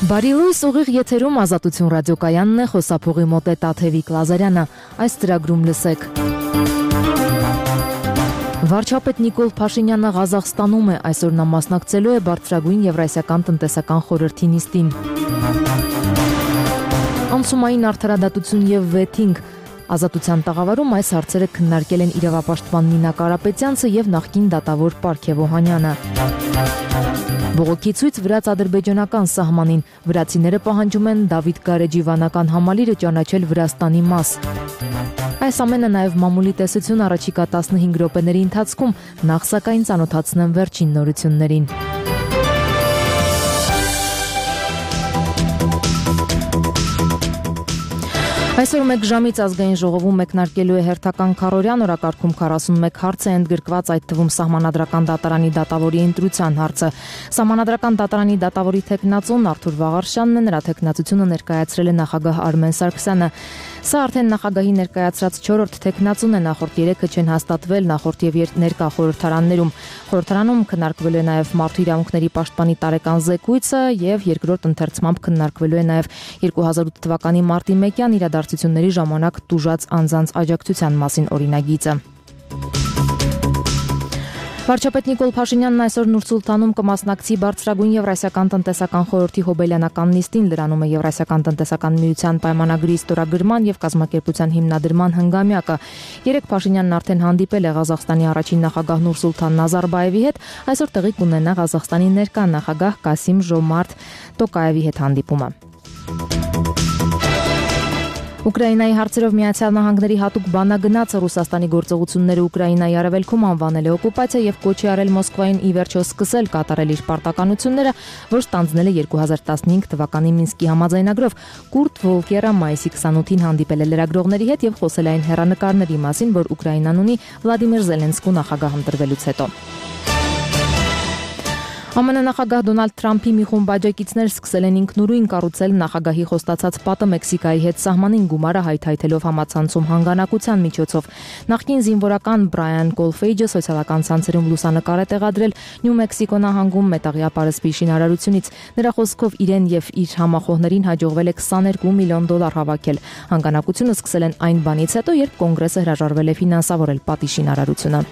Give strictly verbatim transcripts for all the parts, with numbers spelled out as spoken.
Բարի լույս, ուղիղ եթերում Ազատություն ռադիոկայանն է, խոսափողի մոտ է Տաթևիկ Լազարյանը, այս ծրագրում լսեք։ Վարչապետ Նիկոլ Փաշինյանը Ղազախստանում է, այսօր նա մասնակցելու է բարձրագույն Եվրասիական տնտեսական խորհրդի նիստին։ Անցումային արդարադատություն եւ վեթինգ։ Ազատության տաղավարում այս հարցերը քննարկել են իրավապաշտպան Նինա Կարապետյանցը եւ նախկին դատավոր Պարքև Օհանյանը։ Բողոքի ցույց վրաց-ադրբեջանական սահմանին, վրացիները պահանջում են Դավիթ Գարեջի վանական համալիրը ճանաչել Վրաստանի մաս։ Այս ամենը նաև մամուլի տեսություն առաջիկա տասնհինգ րոպեների ընթացքում, նախ սակայն ծանոթացնեմ վերջին նորություններին։ Այսօր մեկ ժամից ազգային ժողովում մեկնարկելու է հերթական քառօրյան, օրակարգում քառասունմեկ հարց է ընդգրկված, այդ թվում Սահմանադրական դատարանի դատավորի ընտրության հարցը։ Սահմանադրական դատարանի դատավորի թեկնածուն Արթուր Վաղարշյանն է, նրա թեկնածությունը ներկայացրել է նախագահ Արմեն Սարգսյանը։ Սա արդեն նախագահի ներկայացրած չորրորդ թեկնածուն է, նախորդ երեքը չեն հաստատվել նախորդ եւ ներկա խորհրդարաններում։ Խորհրդարանում քննարկվելու է նաև մարդու իրավունքների պաշտպանի տարեկան զեկույցը եւ երկրորդ ընթերցմամբ քննարկվելու է նաև երկու հազար ութ թվականի մարտի մեկյան իրադարձությունների ժամանակ տուժած անձանց աջակցության մասին օրինագիծը։ Վարչապետ Նիկոլ Փաշինյանն այսօր Նուր-Սուլթանում կմասնակցի բարձրագույն Եվրասիական տնտեսական խորհրդի հոբելյանական նիստին, լրանում է Եվրասիական տնտեսական միության պայմանագրի ստորագրման եւ կազմակերպության հիմնադրման հնգամյակը։ Երեկ Փաշինյանն արդեն հանդիպել է Ղազախստանի առաջին նախագահ Նուրսուլթան Նազարբաևի հետ, այսօր տեղի կունենա Ղազախստանի ներկա նախագահ Կասիմ-Ժոմարթ Տոկաևի հետ հանդիպումը։ Ուկրաինայի հարցերով Միացյալ Նահանգների հատուկ բանագնացը Ռուսաստանի գործողությունները Ուկրաինայի արևելքում անվանել է օկուպացիա եւ կոչ է արել Մոսկվային ի վերջո սկսել կատարել իր պարտականությունները, որ ստանձնել է երկու հազար տասնհինգ թվականի Մինսկի համաձայնագրով։ Կուրտ Վոլկերը մայիսի քսանութին հանդիպել է լրագրողների հետ եւ խոսել այն հեռանկարների մասին, որ Ուկրաինան ունի Վլադիմիր Զելենսկու նախագահ ընտրվելուց հետո։ ԱՄՆ նախագահ Դոնալդ Թրամփի մի խումբ աջակիցներ սկսել են ինքնուրույն կառուցել նախագահի խոստացած պատը Մեքսիկայի հետ սահմանին գումարը հայթայթելով համացանցում հանգանակության միջոցով։ Նախկին զինվորական Բրայան Կոլֆեյջը սոցիալական ցանցերում լուսանկար է տեղադրել Նյու Մեքսիկո նահանգում մետաղյա պարսպի շինարարությունից։ Նրա խոսքով իրեն եւ իր համախոհներին հաջողվել է քսաներկու միլիոն դոլար հավաքել։ Հանգանակությունը սկսել են այն բանից հետո, երբ կոնգրեսը հրաժարվել է ֆինանսավորել պատի շինարարությունը։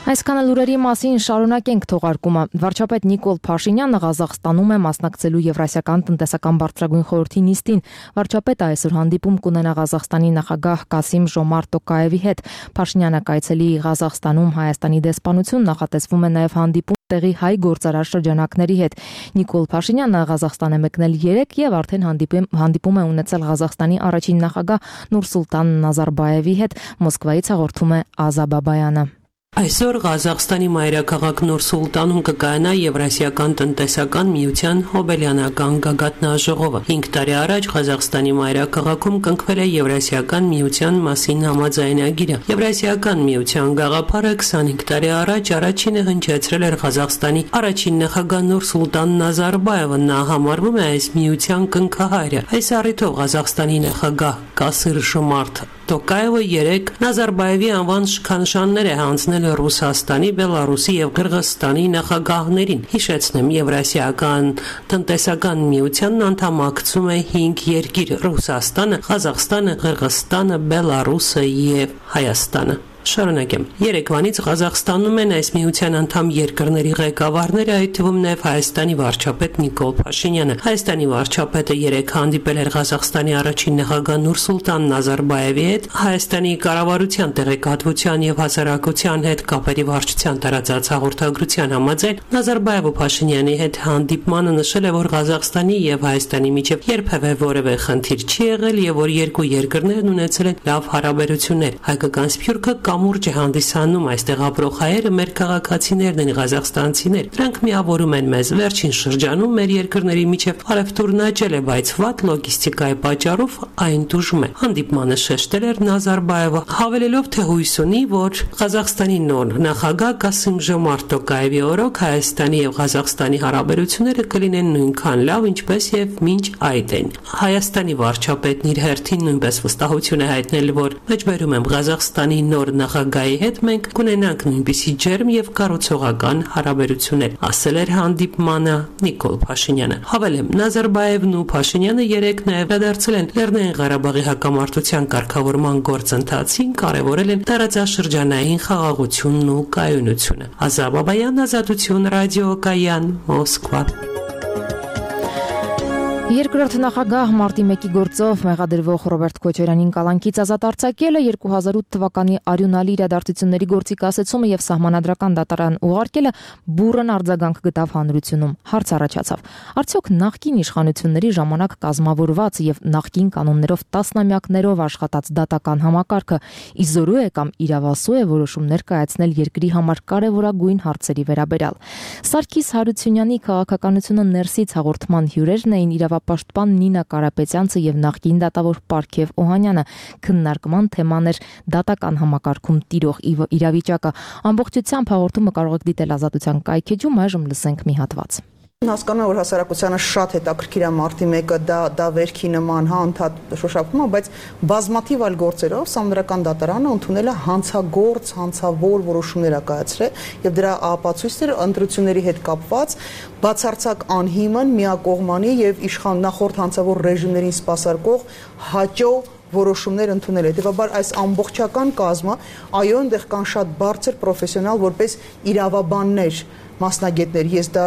Այսքանը լուրերի մասին, շարունակենք թողարկումը։ Վարչապետ Նիկոլ Փաշինյանը Ղազախստանում է մասնակցելու Եվրասիական տնտեսական բարձրագույն խորհրդի նիստին։ Վարչապետը այսօր հանդիպում կունենա Ղազախստանի նախագահ Կասիմ-Ժոմարթ Տոկաևի հետ։ Փաշինյանը կայցելի Ղազախստանում Հայաստանի դեսպանություն, նախատեսվում է նաև հանդիպում տեղի հայ գործարար շրջանակների հետ։ Նիկոլ Փաշինյանը Ղազախստան է մեկնել երեկ եւ արդեն հանդիպում հանդիպում է ունեցել Ղազախստանի առաջին նախագահ Նուրսուլտան Նազարբաևի հետ, Մոսկվայից հաղորդում է Ազա Բաբայանը։ Այսօր Ղազախստանի մայրաքաղաք Նուր-Սուլտանում կկայանա Եվրասիական տնտեսական միության հոբելյանական գագաթնաժողովը։ հինգ տարի առաջ Ղազախստանի մայրաքաղաքում կնքվել է Եվրասիական միության մասին համաձայնագիրը։ Եվրասիական միության գաղափարը քսանհինգ տարի առաջ առաջինը հնչեցրել էր Ղազախստանի առաջին նախագահ Նուր-Սուլտան Նազարբաևը, նա համարվում է այս միության կնքահայրը։ Այս առիթով Ղազախստանի նախագահ Կասիմ-Ժոմարթ Տոկաևը երեկ Նազարբաևի անվան շքանշաններ է հանձնել Ռուսաստանի, Բելարուսի եւ Կырգызստանի նախագահներին։ Հիշեցնեմ, Եվրասիական տնտեսական միությանն անդամակցում է հինգ երկիր՝ Ռուսաստանը, Ղազախստանը, Կырգызստանը, Բելարուսը եւ Հայաստանը։ Շարունակեմ։ Երեկվանից Ղազախստանում են այս միության անդամ երկրների ղեկավարները, այդ թվում նաև Հայաստանի վարչապետ Նիկոլ Փաշինյանը։ Հայաստանի վարչապետը երեկ հանդիպել էր Ղազախստանի առաջին նախագահ Նուրսուլտան Նազարբաևի հետ, Հայաստանի կառավարության տեղեկատվության եւ հասարակության հետ կապերի վարչության տարածած հաղորդագրության համաձայն Նազարբաևը Փաշինյանի հետ հանդիպմանը նշել է, որ Ղազախստանի եւ Հայաստանի միջեւ երբևէ որևէ խնդիր չի եղել եւ որ երկու երկրներն ունեցել են լավ հարաբերություններ։ Հայկական սփյուռքը կամուրջ է հանդիսանում, այստեղ ապրող հայերը մեր քաղաքացիներն են, ղազախստանցիներ։ Դրանք միավորում են մեզ։ Վերջին շրջանում մեր երկրների միջև արևտուրն աճել է, բայց վատ լոգիստիկայի պատճառով այն տուժում է։ Հանդիպմանը շեշտել էր Նազարբաևը, հավելելով, թե հույս ունի, որ Ղազախստանի նոր նախագահ Կասիմ-Ժոմարթ Տոկաևի օրոք Հայաստանի եւ Ղազախստանի հարաբերությունները կլինեն նույնքան լավ, ինչպես եւ մինչ այդ են։ Հայաստանի վարչապետն իր հերթին նույնպես վստահություն է հայտնել, որ մեջբերում եմ Ղազախստանի նոր նախագահի հետ մենք կունենանք նույնպիսի ջերմ եւ կառուցողական հարաբերություններ, ասել էր հանդիպմանը Նիկոլ Փաշինյանը։ Հավելեմ, Նազարբաևն ու Փաշինյանը երեկ նաեւ դարձել են Լեռնային Ղարաբաղի հակամարտության կարգավորման գործընթացին, կարևորել են տարածաշրջանային խաղաղությունն ու կայունությունը։ Ազատ Բաբայան, Ազատություն, ռադիոկայան, Մոսկվա։ Երկրորդ նախագահ մարտի մեկի գործով մեղադրվող Ռոբերտ Քոչարյանին կալանքից ազատ արձակելը երկու հազար ութ թվականի արյունալի իրադարձությունների գործի կասեցումը եւ սահմանադրական դատարան ուղարկելը բուռն արձագանք գտավ հանրությունում։ Հարց առաջացավ. արդյոք նախկին իշխանությունների ժամանակ կազմավորված եւ նախկին կանոններով տասնամյակներով աշխատած դատական համակարգը իզորու է կամ իրավասու է որոշումներ կայացնել երկրի համար կարևորագույն հարցերի վերաբերյալ։ Սարգիս Հարությունյանի քաղաքականությունը ներսից հաղորդման հյուրերն էին իրավապաշտպան Նինա Կարապետյանցը եւ նախկին դատավոր Պարքև Օհանյանը։ Քննարկման թեման էր դատական համակարգում տիրող իրավիճակը։ Ամբողջությամբ հաղորդումը կարող եք դիտել Ազատության կայքեջում, այժմ լսենք մի հատված։ Հասկանում եմ, որ հասարակությանը շատ հետաքրքիր է մարտի մեկը, դա դա վերքի նման, հա, ընդհանուր շոշափում է, բայց բազմաթիվ այլ գործերով Սահմանադրական դատարանը ընդունել է հանցագործ, հանցավոր որոշումներ ա կայացրել եւ դրա ապացույցները ընտրությունների հետ կապված բացարձակ անհիմն, միակողմանի եւ իշխան նախորդ հանցավոր ռեժիմներին սպասարկող հաճո որոշումներ ընդունել է։ Հետևաբար այս ամբողջական կազմը, այո, այնտեղ կան շատ բարձր պրոֆեսիոնալ որպես իրավաբաններ, մասնագետներ, ես դա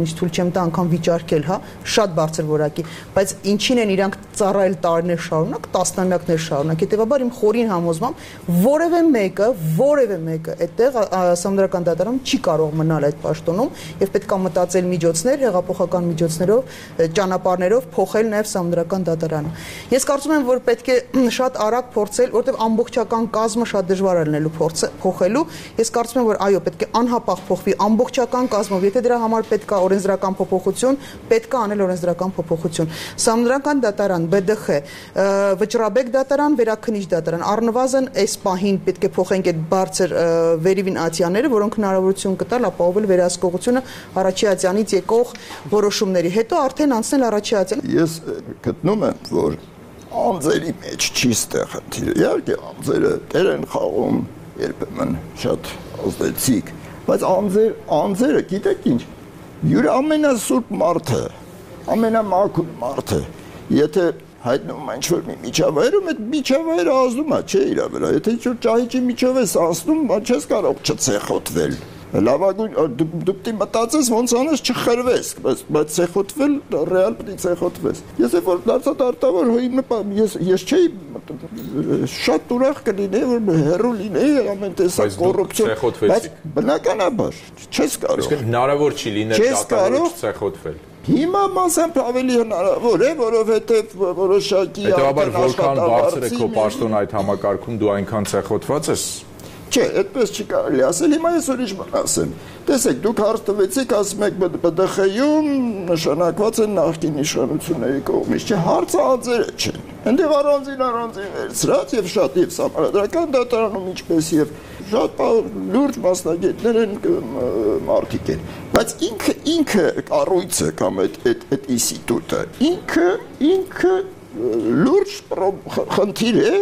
ինչ թույլ չեմ տա անգամ վիճարկել, հա, շատ բարձր որակի, բայց ինչին են իրանք ծառայել տարիներ շարունակ, տասնամյակներ շարունակ, հետևաբար իմ խորին համոզմամբ որևէ մեկը, որևէ մեկը այդտեղ Սահմանադրական դատարանում չի կարող մնալ այդ պաշտոնում եւ պետք է մտածել միջոցներ, հեղափոխական միջոցներով, ճանապարհներով փոխել նաեւ Սահմանադրական դատարանը։ Ես կարծում եմ, որ պետք է շատ արագ փորձել, որտեղ ամբողջական կազմը շատ դժվար է լինելու փոխելու։ Ես կարծում եմ, որ այո, պետք է անհապաղ փոխվի ամբողջական կազմով, եթե դրա համար պետք է օրենսդրական փոփոխություն, պետք է անել օրենսդրական փոփոխություն։ Սահմանադրական դատարան, B D X, Վճռաբեկ դատարան, Վերաքննիչ դատարան, առնվազն այս պահին պետք է փոխենք այդ բարձր վերիվինացիաները, որոնք հնարավորություն կտալ ապահովել վերահսկողությունը առաջի ատյանից եկող որոշումների, հետո արդեն անցնել առաջի ատյան։ Ես գտնում եմ, որ անձերի մեջ չի ստեղ խնդիրը։ Իհարկե անձերը դեր են խաղում երբեմն շատ ազդեցիկ, բայց անձեր, անձերը, գիտեք ինչ, յուր ամենասուրբ մարդը, ամենամաքուր մարդը, եթե հայտնվում այն ինչ-որ մի միջավայրում, այդ միջավայրը ազդում է, չէ իրա վրա, եթե ինչ-որ ճահիճի միջով ես անցնում, չես կարող չցեխոտվել։ Լավագույն դուք դի մտածես ոնց անես չխրվես, բայց ցեխոտվել ռեալ պետք է ցեխոտվես։ Ես երբ որ դարձա դարտավոր ես ես չէի շատ ուրախ կլինեի որ հերո լինեի ամեն տեսակ կոռուպցիա, բայց բնականաբար չես կարող։ Իսկ հնարավոր չի լինել դատարանից ցեխոտվել։ Հիմա մասամբ ավելի հնարավոր է, որովհետև որոշակի Հետևաբար որքան բարձր է քո պաշտոն այդ համակարգում դու այնքան ցեխոտված ես։ Չէ, այդպես չի կարելի ասել, հիմա ես ուրիշ բան ասեմ։ Տեսեք, դուք հարց տվեցիք, ասում եք B D X-ում նշանակված են նախկին իշխանությունների կողմից, չէ, հարցը անձերը չեն։ Այնտեղ առանձին առանձին վերցրած եւ շատ եւ Սահմանադրական դատարանում ինչպես եւ շատ լուրջ մասնագետներ են մարդիկ են, բայց ինքը ինքը կառույցը կամ այդ այդ այդ ինստիտուտը ինքը ինքը լուրջ խնդիր է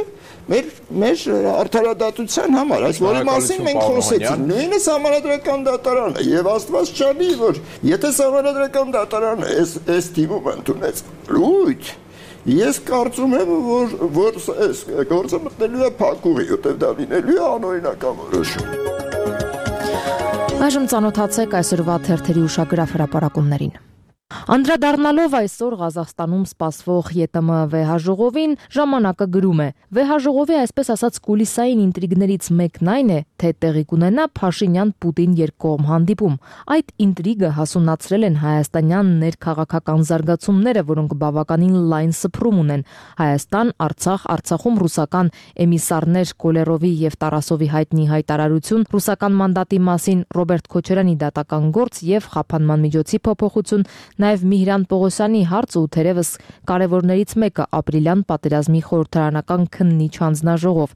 մեր մեր արդարադատության համար, այս որի մասին մենք խոսեցինք, նույնը Սահմանադրական դատարանը եւ Աստված չանի, որ եթե Սահմանադրական դատարանը այս այս թիմում ընդունեց լույթ, ես կարծում եմ, որ որ այս գործը մտնելու է փակուղի, որտեղ դա լինելու է անօրինական որոշում։ Այժմ ծանոթացեք այսօրվա թերթերի ուշագրավ հրապարակումներին։ Անդրադառնալով այսօր Ղազախստանում սպասվող Ե Տ M վեհաժողովին, ժամանակը գրում է. վեհաժողովի այսպես ասած կուլիսային ինտրիգներից մեկն այն է, թե տեղի կունենա Փաշինյան-Պուտին երկկողմ հանդիպում։ Այդ ինտրիգը հասունացրել են հայաստանյան ներքաղաքական զարգացումները, որոնք բավականին լայն սփռում ունեն։ Հայաստան, Արցախ, Արցախում ռուսական էմիսարներ Կոլերովի եւ Տարասովի հայտնի հայտարարություն, ռուսական մանդատի մասին Ռոբերտ Քոչարյանի դատական գործ եւ խափանման միջոցի փոփոխություն, Նաև Միհրան Պողոսյանի հարցը ու թերևս կարևորներից մեկը ապրիլյան պատերազմի խորհրդարանական քննիչ հանձնաժողով։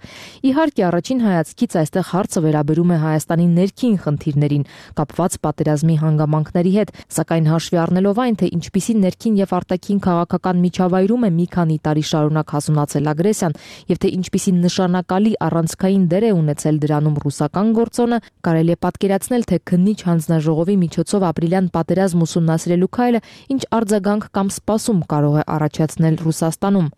Իհարկե, առաջին հայացքից այստեղ հարցը վերաբերում է Հայաստանի ներքին խնդիրներին, կապված պատերազմի հանգամանքների հետ, սակայն հաշվի առնելով այն, թե ինչպիսի ներքին եւ արտաքին քաղաքական միջավայրում է մի քանի տարի շարունակ հասունացել ագրեսիան եւ թե ինչպիսի նշանակալի առանցքային դեր է ունեցել դրանում ռուսական գործոնը, կարելի է պատկերացնել, թե քննիչ հանձնաժողովի միջոցով ապրիլյան պատերազմ ուսումնասիրելու քայլը ինչ արձագանք կամ սպասում կարող է առաջացնել Ռուսաստանում։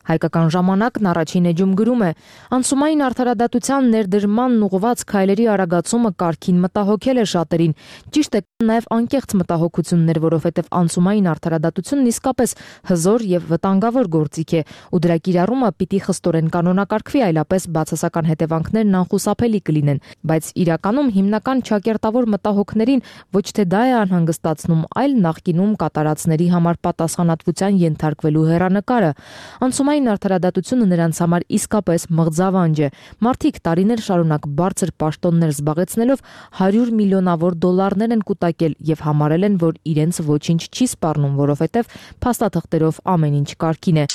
Հայկական ժամանակն առաջին էջում գրում է. անցումային արդարադատության ներդրմանն ուղղված քայլերի արագացումը կարգին մտահոգել է շատերին։ Ճիշտ է, նաև անկեղծ մտահոգություններ, որովհետև անցումային արդարադատությունն իսկապես հզոր եւ վտանգավոր գործիք է, ու դրա կիրառումը պիտի խստորեն կանոնակարգվի, այլապես բացասական հետևանքներն անխուսափելի կլինեն, բայց իրականում հիմնական ճակերտավոր մտահոգներին ոչ թե դա է անհանգստացնում, այլ նախկինում կատարածների համար պատասխանատվության ենթարկվելու հեռանկարը։ Անցումային արդարադատությունը նրանց համար իսկապես մղձավանջ է։ Մարդիկ տարիներ շարունակ բարձր պաշտոններ զբաղեցնելով հարյուր միլիոնավոր դոլարներ են կուտակել եւ համարել են, որ իրենց ոչինչ չի սպառնում, որովհետեւ փաստաթղթերով ամեն ինչ կարգին է։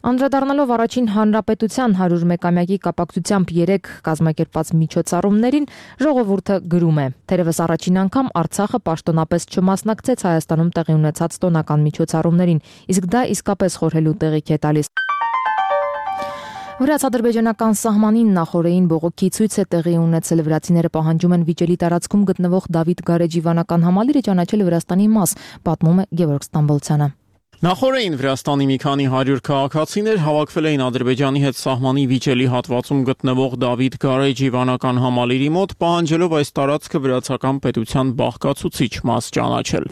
Անդրադառնալով առաջին հանրապետության հարյուրմեկամյակի կապակցությամբ երեք կազմակերպված միջոցառումներին, ժողովուրդը գրում է. Թերևս առաջին անգամ Արցախը պաշտոնապես չմասնակցեց Հայաստանում տեղի ունեցած տոնական միջոցառումներին, իսկ դա իսկապես խորհելու տեղիք է տալիս։ Վրաց-ադրբեջանական սահմանին նախորդին բողոքի ցույց է տեղի ունեցել, վրացիները պահանջում են վիճելի տարածքում գտնվող Դավիթ Գարեջի վանական համալիրը ճանաչել Վրաստանի մաս, պատմում է Գևորգ Ստամբոլցյանը։ Նախորդին Վրաստանի մի քանի հարյուր քաղաքացիներ հավաքվել էին Ադրբեջանի հետ սահմանի վիճելի հատվածում գտնվող Դավիթ Գարեջի վանական համալիրի մոտ, պահանջելով այս տարածքը վրացական պետության բաղկացուցիչ մաս ճանաչել։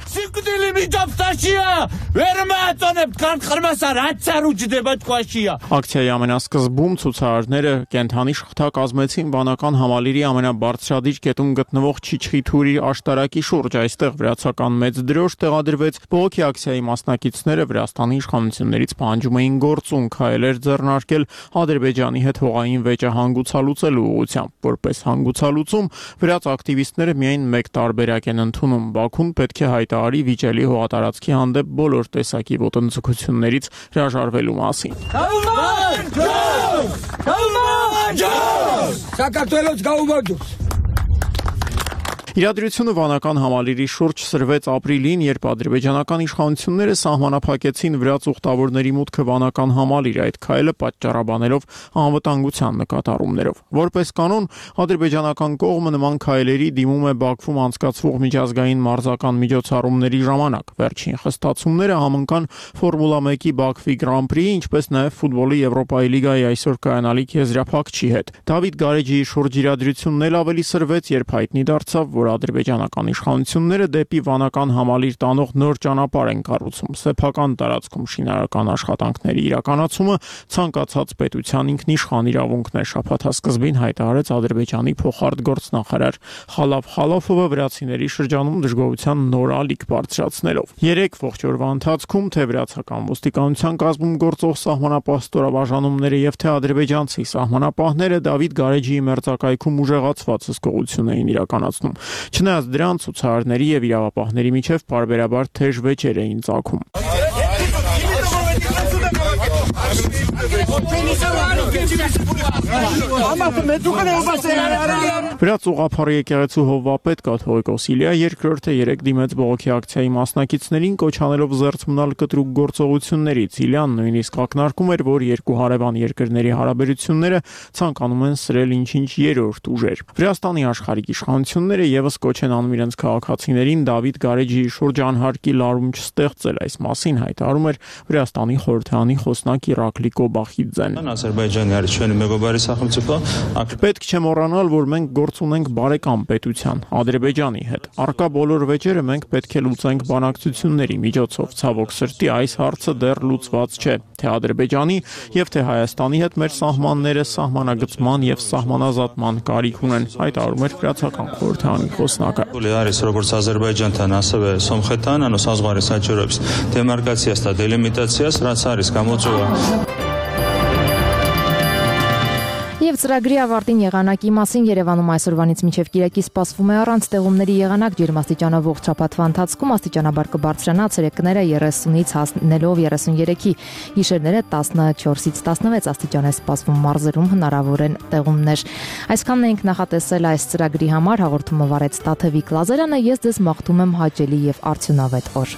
Ակցիայի ամենասկզբում ցուցարարները կենթանի շղթա կազմեցին վանական համալիրի ամենաբարձրադիր կետում գտնվող Չիչխիթուրի աշտարակի շուրջ։ Այստեղ վրացական մեծ դրոշ տեղադրվեց։ Բողոքի ակցիայի մասնակիցները Վրաստանի իշխանություններից պահանջում էին գործուն քայլեր ձեռնարկել Ադրբեջանի հետ հողային վեճը հանգուցալուծելու ուղղությամբ։ Որպես հանգուցալուծում վրաց ակտիվիստները միայն մեկ տարբերակ են ընդունում. Բաքուն պետք է հայտարարի վիճելի հողատարածքի հանդեպ բոլոր տեսակի ոտնձգություններից հրաժարվելու մասին։ Իրադրությունը վանական համալիրի շուրջ սրվեց ապրիլին, երբ ադրբեջանական իշխանությունները սահմանափակեցին վրաց ուխտավորների մուտքը վանական համալիր, այդ քայլը պատճառաբանելով անվտանգության նկատառումներով։ Որպես կանոն, ադրբեջանական կողմը նման քայլերի դիմում է Բաքվում անցկացվող միջազգային մարզական միջոցառումների ժամանակ։ Վերջին խստացումները համընկան Ֆորմուլա մեկի Բաքվի Գրանպրիի, ինչպես նաև ֆուտբոլի Եվրոպայի լիգայի այսօր կայանալիք եզրափակչի հետ։ Դավիթ Գարեջիի շուրջ իրադրությունն էլ ավելի սրվեց, երբ հայտնի դարձավ, որ ադրբեջանական իշխանությունները դեպի վանական համալիր տանող նոր ճանապարհ են կառուցում։ Սեփական տարածքում շինարարական աշխատանքների իրականացումը ցանկացած պետության ինքնիշխան իրավունքն է, շաբաթասկզբին հայտարարեց Ադրբեջանի փոխարտգործնախարար Խալաֆ Խալաֆովը վրացիների շրջանում դժգոհության նոր ալիք բարձրացնելով։ Երեք ողջ օրվա ընթացքում թե վրացական ոստիկանության կազմում գործող սահմանապահ ստորաբաժանումները եւ թե ադրբեջանցի սահմանապահները Դավիթ Գարեջիի մերձակայքում ուժեղացված հսկողություն էին իրականացնում։ Չնայած դրան ցուցարարների եւ իրավապահների միջև պարբերաբար թեժ վեճեր էին ծագում։ Վրաց ուղղափառ եկեղեցու հովվապետ կաթողիկոս Իլիա երկրորդը երեք դիմեց բողոքի ակցիայի մասնակիցներին, կոչ անելով զերծ մնալ կտրուկ գործողություններից։ Իլիան նույնիսկ ակնարկում էր, որ երկու հարևան երկրների հարաբերությունները ցանկանում են սրել ինչ-ինչ երրորդ ուժեր։ Վրաստանի աշխարհիկ իշխանությունները եւս կոչ են անում իրենց քաղաքացիներին Դավիթ Գարեջիի շուրջ անհարկի լարում չստեղծել։ Այս մասին հայտարարում էր Վրաստանի խորհրդարանի խոսնակ Իրակլի Կոբախիձեն։ Պետք չէ մոռանալ, որ մենք գործ ունենք բարեկամ պետության Ադրբեջանի հետ։ Առկա բոլոր վեճերը մենք պետք է լուծենք բանակցությունների միջոցով։ Ցավոք սրտի այս հարցը դեռ լուծված չէ, թե Ադրբեջանի եւ թե Հայաստանի հետ մեր սահմանները սահմանագծման եւ սահմանազատման կարիք ունեն, հայտարարում էր վրացական խորհրդարանի խոսնակը։ Եվ ծրագրի ավարտին եղանակի մասին Երևանում այսօրվանից մինչև կիրակի սպասվում է առանց տեղումների եղանակ, ջերմաստիճանով ողջ շաբաթվա ընթացքում աստիճանաբար կբարձրանա, ցերեկները երեսունից հասնելով երեսունյոթի, գիշերները տասնչորսից տասնվեց աստիճան է սպասվում, մարզերում հնարավոր են տեղումներ։ Այսքանն էինք նախատեսել այս ծրագրի համար, հաղորդումը վարեց Տաթևիկ Լազարյանը, ես ձեզ մաղթում եմ հաճելի եւ արդյունավետ օր։